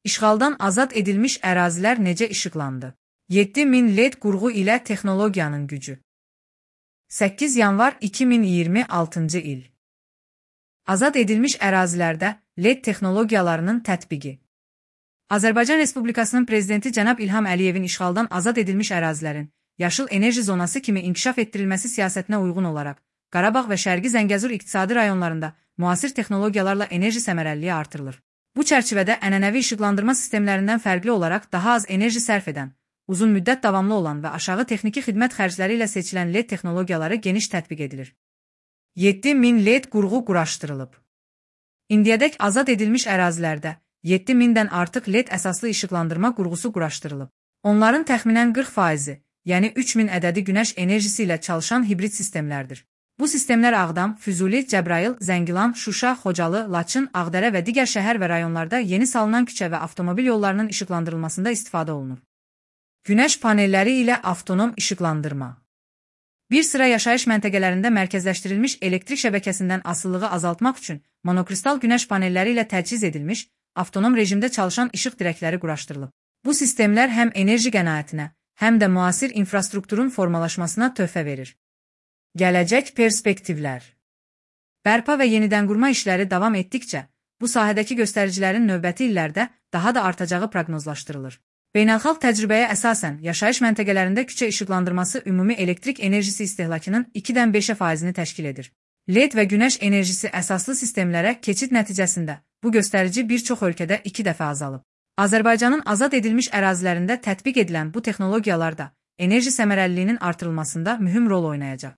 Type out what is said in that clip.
İşğaldan azad edilmiş ərazilər necə işıqlandı? 7000 LED qurğu ilə texnologiyanın gücü. 8 yanvar 2026-cı il. Azad edilmiş ərazilərdə LED texnologiyalarının tətbiqi. Azərbaycan Respublikasının Prezidenti cənab İlham Əliyevin işğaldan azad edilmiş ərazilərin yaşıl enerji zonası kimi inkişaf etdirilməsi siyasətinə uyğun olaraq Qarabağ və Şərqi Zəngəzur iqtisadi rayonlarında müasir texnologiyalarla enerji səmərəliliyi artırılır. Bu çərçivədə ənənəvi işıqlandırma sistemlərindən fərqli olaraq daha az enerji sərf edən, uzun müddət davamlı olan və aşağı texniki xidmət xərcləri ilə seçilən LED texnologiyaları geniş tətbiq edilir. 7000 LED qurğu quraşdırılıb. İndiyədək azad edilmiş ərazilərdə 7000-dən artıq LED əsaslı işıqlandırma qurğusu quraşdırılıb. Onların təxminən 40%, yəni 3000 ədədi günəş enerjisi ilə çalışan hibrid sistemlərdir. Bu sistemlər Ağdam, Füzuli, Cəbrayıl, Zəngilan, Şuşa, Xocalı, Laçın, Ağdərə və digər şəhər və rayonlarda yeni salınan küçə və avtomobil yollarının işıqlandırılmasında istifadə olunur. Günəş panelləri ilə avtonom işıqlandırma. Bir sıra yaşayış məntəqələrində mərkəzləşdirilmiş elektrik şəbəkəsindən asılılığı azaltmaq üçün monokristal günəş panelləri ilə təchiz edilmiş, avtonom rejimdə çalışan işıq dirəkləri quraşdırılıb. Bu sistemlər həm enerji qənaətinə, həm də müasir infrastrukturun formalaşmasına töhfə verir. Gələcək perspektivlər. Bərpa və yenidənqurma işləri davam etdikcə, bu sahədəki göstəricilərin növbəti illərdə daha da artacağı proqnozlaşdırılır. Beynəlxalq təcrübəyə əsasən yaşayış məntəqələrində küçə işıqlandırması ümumi elektrik enerjisi istehlakının 2-dən 5%-ni təşkil edir. LED və günəş enerjisi əsaslı sistemlərə keçid nəticəsində bu göstərici bir çox ölkədə 2 dəfə azalıb. Azərbaycanın azad edilmiş ərazilərində tətbiq edilən bu texnologiyalar da enerji səmərəliliyinin artırılmasında mühüm rol oynayacaq.